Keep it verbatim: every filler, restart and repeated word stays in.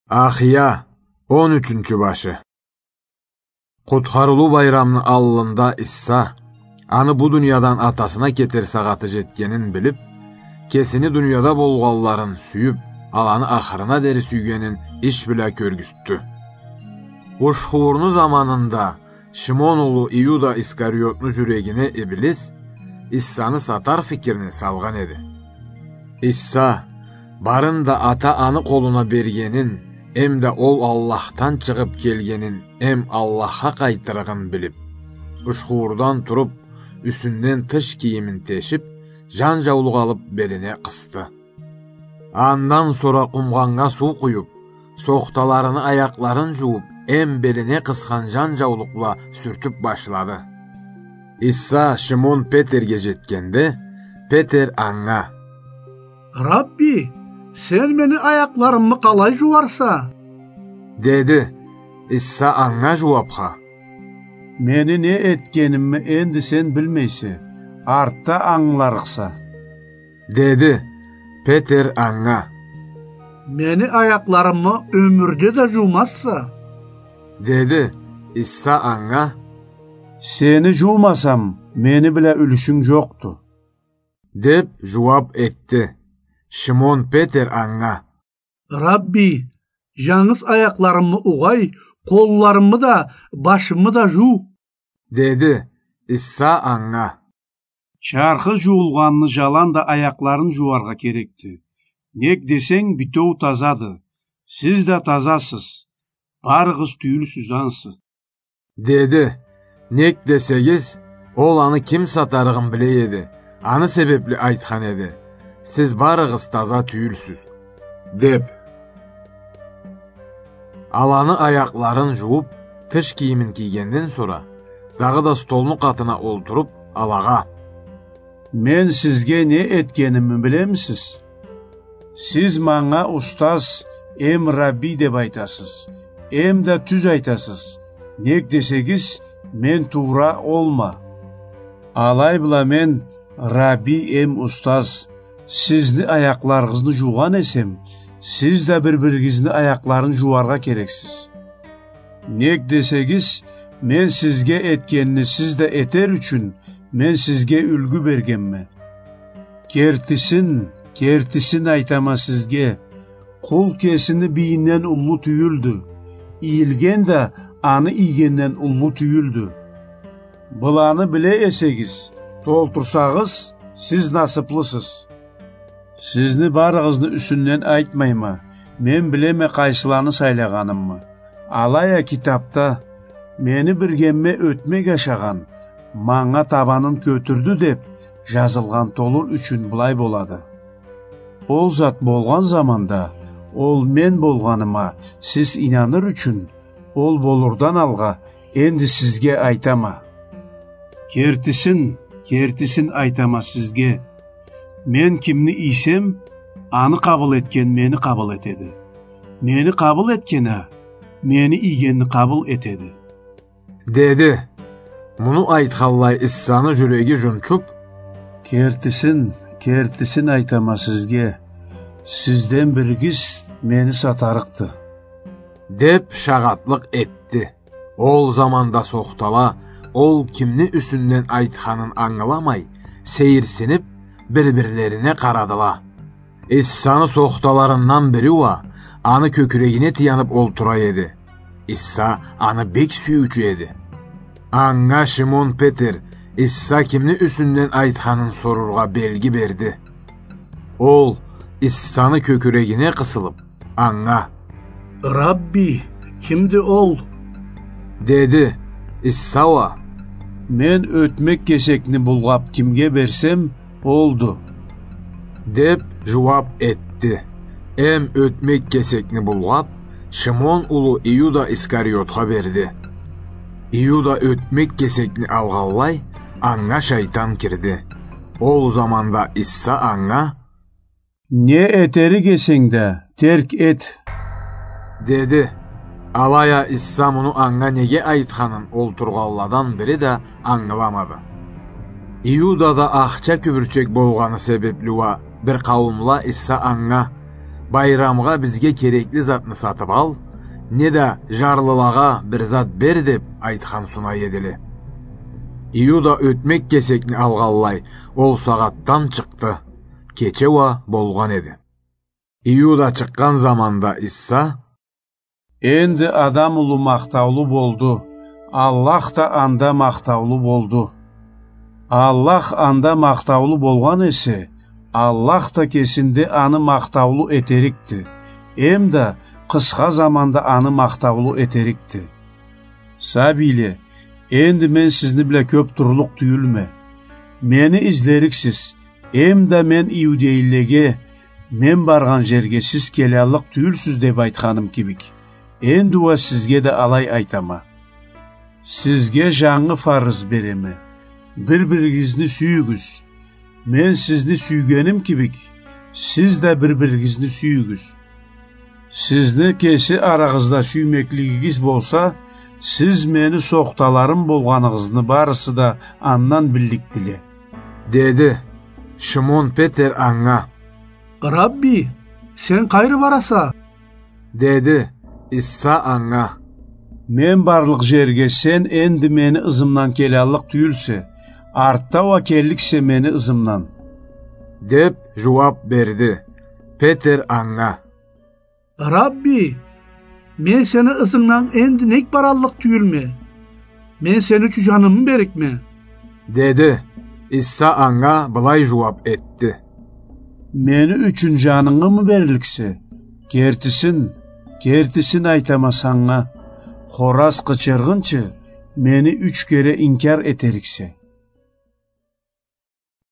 Ахия, он ючюнчю башы. Къутхарылыу байрамны аллында Иса, аны бу дуниядан Атасына кетер сагъаты жетгенин билип, кесини дунияда болгъанларын сюйюп, аланы ахырына дери сюйгенин иш бла кёргюзтдю. Ушхуурну заманында Шимон улу Иуда Искариотну жюрегине Иблис Исаны сатар фикирни салгъан эди. Иса барын да Ата аны къолуна бергенин, эмда ол Аллахдан чыгъып келгенин, эм Аллахха къайтырыгъын билип, ушхуурдан туруп, юсюнден тыш кийимин тешип, жан жаулукъ алып белине къысды. Андан сора къумгъаннга суу къуюп, сохталарыны аякъларын жууп, эм белине къысхан жан жаулукъ бла сюртюп башлады. Иса Шимон Петерге жетгенде, Петер анга: «Рабби, сен мени аякъларымы къалай жууарса?» — деди. Иса анга жууапха: «Мени не этгенимни энди сен билмейсе, артда ангыларыкъса», — деди. Петер анга: «Мени аякъларымы ёмюрде да жуумазса», — деди. Иса анга: «Сени жуумасам, мени бла юлюшюнг жокъду», — деп жууап этди. Шимон Петер анга: «Рабби, жангыз аякъларымы угъай, къолларымы да, башымы да жуу», — деди. Иса анга: «Чархы жуулгъанны жаланда аякъларын жууаргъа керекди. Нек десенг, битеу тазады. Сиз да тазасыз. Барыгъыз тюйюлсюз ансы», — деди. Нек десегиз, ол аны ким сатарыгъын биле эди, аны себепли айтхан эди: «Сиз барыгъыз таза тюйюлсюз», — деп. Аланы аякъларын жууп, тыш кийимин кийгенден сора, дагъыда столну къатына олтуруп, алагъа: «Мен сизге не этгенимни билемисиз? Сиз манга устаз эм рабби деп айтасыз, эм да тюз айтасыз, нек десегиз, мен туура олма. Алай бла мен, рабби эм устаз, сизни аякъларыгъызны жуугъан эсем, сиз да бир-биригизни аякъларын жууаргъа керексиз. Нек десегиз, мен сизге этгенни сиз да этер ючюн, мен сизге юлгю бергенме. Кертисин, кертисин айтама сизге, къул кесини бийинден уллу тюйюлдю, ийилген да аны ийгенден уллу тюйюлдю. Быланы биле эсегиз, толтурсагъыз, сиз насыплысыз. Сизни барыгъызны юсюнден айтмайма, мен билеме къайсыланы сайлагъанымы. Алай а китапда: „Мени биргемме ётмек ашагъан, манга табанын кётюрдю“, — деп жазылгъан толур ючюн былай болады. Ол зат болгъан заманда, ол мен болгъаныма сиз ийнаныр ючюн, ол болурдан алгъа энди сизге айтама. Кертисин, кертисин айтама сизге. Мен кимни ийсем, аны къабыл этген мени къабыл этеди. Мени къабыл этген а, мени ийгенни къабыл этеди», — деди. Муну айтханлай Иссаны жюреги жунчуп: «Кертисин, кертисин айтама сизге, сизден биригиз мени сатарыкъды», — деп шагъатлыкъ этди. Ол заманда сохтала, ол кимни юсюнден айтханын ангыламай, сейирсинип, бир-бирлерине къарадыла. Иссаны сохталарындан бири уа аны кёкюрегине таянып олтура эди. Исса аны бек сюйюучю эди. Анга Шимон Петер Исса кимни юсюнден айтханын сорургъа белги берди. Ол Иссаны кёкюрегине къысылып, анга: «Рабби, кимди ол?» — деди. Исса уа: «Мен ётмек кесекни булгъап кимге берсем, олду», — деп жууап этди. Эм ётмек кесекни булгъап, Шимон улу Иуда Искариотха берди. Иуда ётмек кесекни алгъанлай, анга шайтан кирди. Ол заманда Исса анга: «Не этерик эсенг да, терк эт», — деди. Алай а Исса муну анга неге айтханын олтургъанладан бири да ангыламады. Иудада ахча кюбюрчек болгъаны себепли уа бир къауумла Исса анга: «Байрамгъа бизге керекли затны сатып ал, неда жарлылагъа бир зат бер», — деп айтхан сунай эдиле. Иуда ётмек кесекни алгъанлай, ол сагъатдан чыкъды. Кече уа болгъан эди. Иуда чыкъгъан заманда Иса: «Энди Адам улу махтаулу болду, Аллах да анда махтаулу болду. Аллах анда махтаулу болгъан эсе, Аллах да кесинде аны махтаулу этерикди, эмда къысха заманда аны махтаулу этерикди. Сабийле, энди мен сизни бла кёп турлукъ тюйюлме. Мени излериксиз, эмда мен иудейлеге: „Мен баргъан жерге сиз келяллыкъ тюйюлсюз“, — деп айтханым кибик, энди уа сизге да алай айтама. Сизге жангы фарыз береме: бир-биригизни сюйюгюз. Мен сизни сюйгеним кибик, сиз да бир-биригизни сюйюгюз. Сизни кеси арагъызда сюймеклигигиз болса, сиз мени сохталарым болгъаныгъызны барысы да андан билликдиле», — деди. Шимон Петер анга: «Рабби, сен къайры бараса?» — деди. Иса анга: «Мен барлыкъ жерге сен энди мени ызымдан келяллыкъ тюйюлсе, артда уа келликсе мени ызымдан», — деп жууап берди. Петер анга: «Рабби, мен сени ызынгдан энди нек бараллыкъ тюйюлме? Мен сени ючюн жанымы беририкме?» — деди. Иса анга былай жууап этди: «Мени ючюн жанынгымы берликсе? Кертисин, кертисин айтама санга: хораз къычыргъынчы мени юч кере инкяр этериксе».